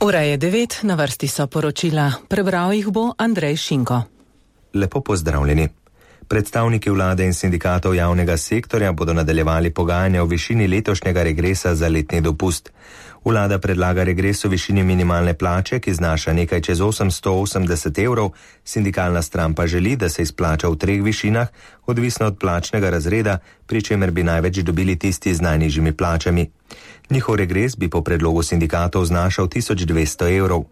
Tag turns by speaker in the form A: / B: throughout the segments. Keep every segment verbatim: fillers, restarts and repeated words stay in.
A: Ura je devet, na vrsti so poročila. Prebral jih bo Andrej Šinko.
B: Lepo pozdravljeni. Predstavniki vlade in sindikatov javnega sektorja bodo nadaljevali pogajanja o višini letošnjega regresa za letni dopust. Vlada predlaga regres v višini minimalne plače, ki znaša nekaj čez osemsto osemdeset evrov, sindikalna stran pa želi, da se izplača v treh višinah, odvisno od plačnega razreda, pri čemer bi največ dobili tisti z najnižjimi plačami. Njihov regres bi po predlogu sindikatov znašal tisoč dvesto evrov.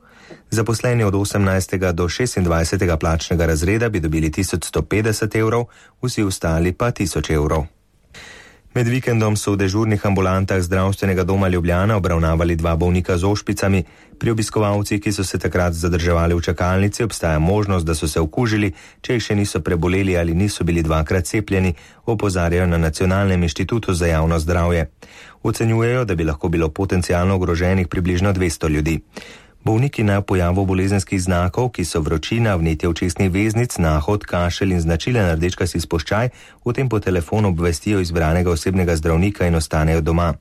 B: Zaposleni od osemnajstega do šestindvajsetega plačnega razreda bi dobili tisoč sto petdeset evrov, vsi ostali pa tisoč evrov. Med vikendom so v dežurnih ambulantah zdravstvenega doma Ljubljana obravnavali dva bolnika z ošpicami. Pri obiskovalcih, ki so se takrat zadrževali v čakalnici, obstaja možnost, da so se okužili, če jih še niso preboleli ali niso bili dvakrat cepljeni, opozarjajo na Nacionalnem inštitutu za javno zdravje. Ocenjujejo, da bi lahko bilo potencialno ogroženih približno dvesto ljudi. Bolniki na pojavu bolezenskih znakov, ki so vročina, vnetje očesnih veznic, nahod, kašelj in značilen rdečkasti spuščaj, v tem po telefonu obvestijo izbranega osebnega zdravnika in ostanejo doma.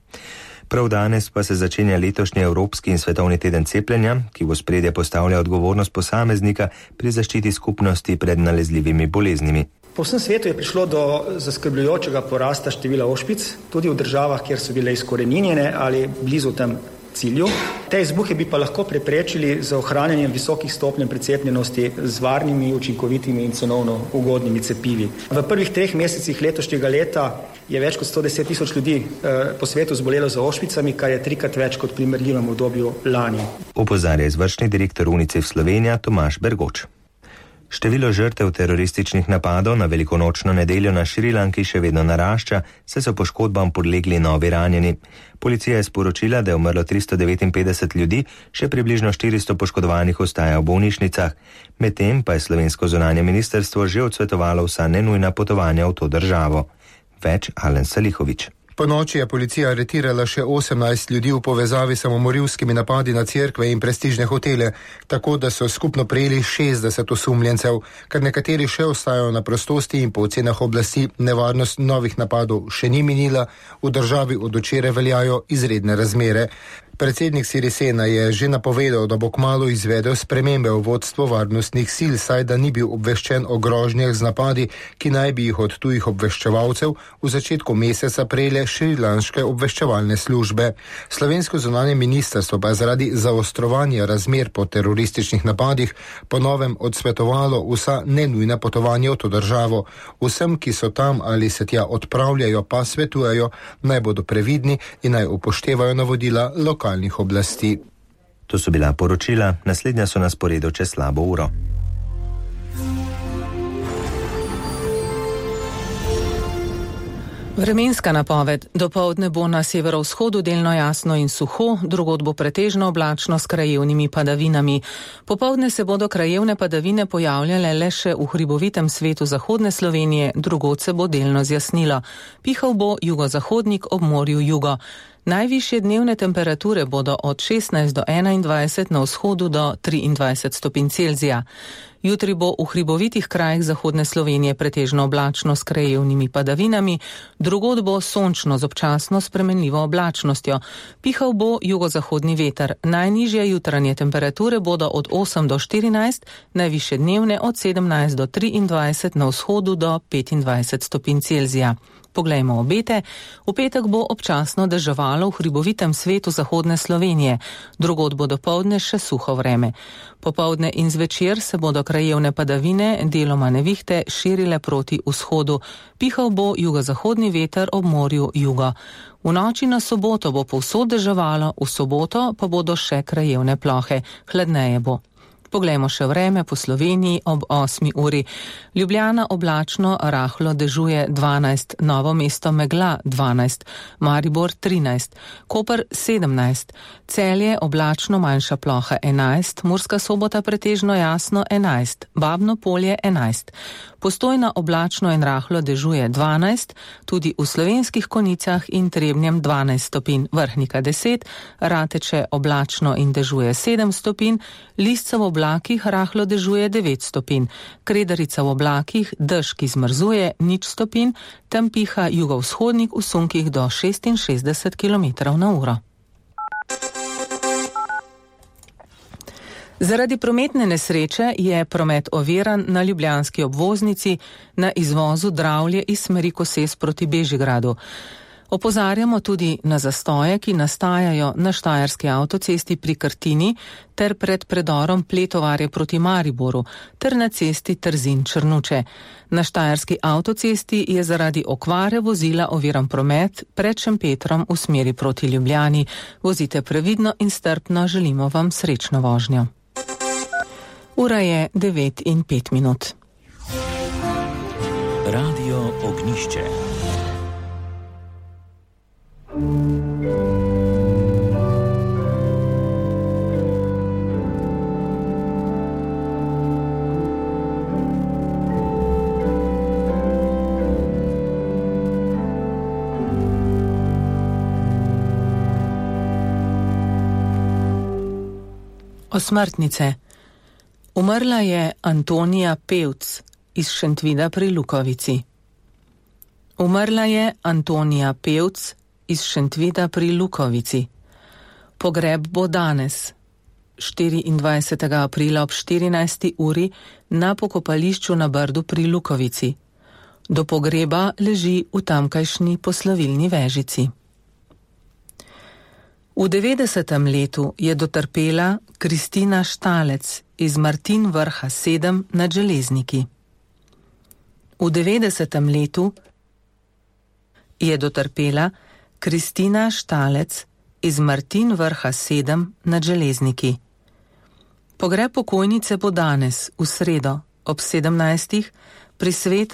B: Prav danes pa se začenja letošnji Evropski in svetovni teden cepljenja, ki v ospredje postavlja odgovornost posameznika pri zaščiti skupnosti pred nalezljivimi boleznimi.
C: Po vsem svetu je prišlo do zaskrbljujočega porasta števila ošpic, tudi v državah, kjer so bile izkoreninjene ali blizu tem cilju. Te izbuhe bi pa lahko preprečili z ohranjanjem visokih stopenj precepljenosti z varnimi, učinkovitimi in cenovno ugodnimi cepivi. V prvih treh mesecih letošnjega leta je več kot sto deset tisoč ljudi eh, po svetu zbolelo za ošpicami, kar je trikrat več kot v primerljivem obdobju lani.
B: Opozarja izvršni direktor UNICEF Slovenija Tomaž Bergoč. Število žrtev terorističnih napadov na velikonočno nedeljo na Šrilanki še vedno narašča, saj so poškodbam podlegli novi ranjeni. Policija je sporočila, da je umrlo tristo devetinpetdeset ljudi, še približno štiristo poškodovanih ostaja v bolnišnicah. Medtem pa je slovensko zunanje ministrstvo že odsvetovalo vsa nenujna potovanja v to državo. Več Alen Salihovič.
D: Po noči je policija aretirala še osemnajst ljudi v povezavi s samomorilskimi napadi na cerkve in prestižne hotele, tako da so skupno prejeli šestdeset osumljencev, kar nekateri še ostajajo na prostosti in po ocenah oblasti nevarnost novih napadov še ni minila, v državi od včeraj veljajo izredne razmere. Predsednik Sirisena je že napovedal, da bo kmalu izvedel spremembe v vodstvo varnostnih sil, saj da ni bil obveščen o grožnjah z napadi, ki naj bi jih od tujih obveščevalcev v začetku meseca prejele šrilanške obveščevalne službe. Slovensko zunanje ministrstvo pa je zaradi zaostrovanja razmer po terorističnih napadih po novem odsvetovalo vsa nenujna potovanja v to državo. Vsem, ki so tam ali se tja odpravljajo, pa svetujejo, naj bodo previdni in naj upoštevajo navodila lokalnih oblasti.
B: To so bila poročila, naslednja so na sporedu čez slabo uro.
A: Vremenska napoved. Dopoldne bo na severovzhodu delno jasno in suho, drugod bo pretežno oblačno s krajevnimi padavinami. Popoldne se bodo krajevne padavine pojavljale le še v hribovitem svetu zahodne Slovenije, drugod se bo delno zjasnilo. Pihal bo jugozahodnik ob morju jugo. Najvišje dnevne temperature bodo od šestnajst do enaindvajset, na vzhodu do triindvajset stopinj Celzija. Jutri bo v hribovitih krajih zahodne Slovenije pretežno oblačno s krajevnimi padavinami, drugod bo sončno z občasno spremenljivo oblačnostjo. Pihal bo jugozahodni veter. Najnižje jutranje temperature bodo od osem do štirinajst, najvišje dnevne od sedemnajst do triindvajset, na vzhodu do petindvajset stopinj Celzija. Poglejmo obete. V petek bo občasno deževalo v hribovitem svetu zahodne Slovenije. Drugod bo dopoldne še suho vreme. Popoldne in zvečer se bodo krajevne padavine, deloma nevihte, širile proti vzhodu. Pihal bo jugozahodni veter ob morju jugo. V noči na soboto bo povsod deževalo, v soboto pa bodo še krajevne plohe. Hladneje bo. Poglejmo še vreme po Sloveniji ob osmi uri. Ljubljana oblačno, rahlo dežuje dvanajst, Novo mesto megla dvanajst, Maribor trinajst, Koper sedemnajst, Celje oblačno, manjša ploha enajst, Murska Sobota pretežno jasno enajst, Babno Polje enajst. Postojna oblačno in rahlo dežuje dvanajst, tudi v Slovenskih Konjicah in Trebnjem dvanajst stopinj, Vrhnika deset, Rateče oblačno in dežuje sedem stopinj, Lisca v oblakih rahlo dežuje devet stopinj, Kredarica v oblakih dež, ki zmrzuje nič stopinj, tam piha jugovzhodnik v sunkih do šestinšestdeset kilometrov na uro. Zaradi prometne nesreče je promet oviran na ljubljanski obvoznici na izvozu Dravlje iz smeri Koses proti Bežigradu. Opozarjamo tudi na zastoje, ki nastajajo na štajerski avtocesti pri Krtini ter pred predorom Pletovarje proti Mariboru ter na cesti Trzin-Črnuče. Na štajerski avtocesti je zaradi okvare vozila oviran promet pred Šempetrom v smeri proti Ljubljani. Vozite previdno in strpno, želimo vam srečno vožnjo. Ura je devet in pet minut.
E: Radio Ognišče.
A: Osmrtnice. Umrla je Antonija Pevc iz Šentvida pri Lukovici. Umrla je Antonija Pevc iz Šentvida pri Lukovici. Pogreb bo danes, štiriindvajsetega aprila ob štirinajsti uri na pokopališču na Brdu pri Lukovici. Do pogreba leži v tamkajšnji poslovilni vežici. V devetdesetem letu je dotrpela Kristina Štalec iz Martin Vrha sedem nad Železniki. V devetdesetem letu je dotrpela Kristina Štalec iz Martin Vrha sedem nad Železniki. Pogreb pokojnice bo danes, v sredo, ob sedemnajstih pri svetem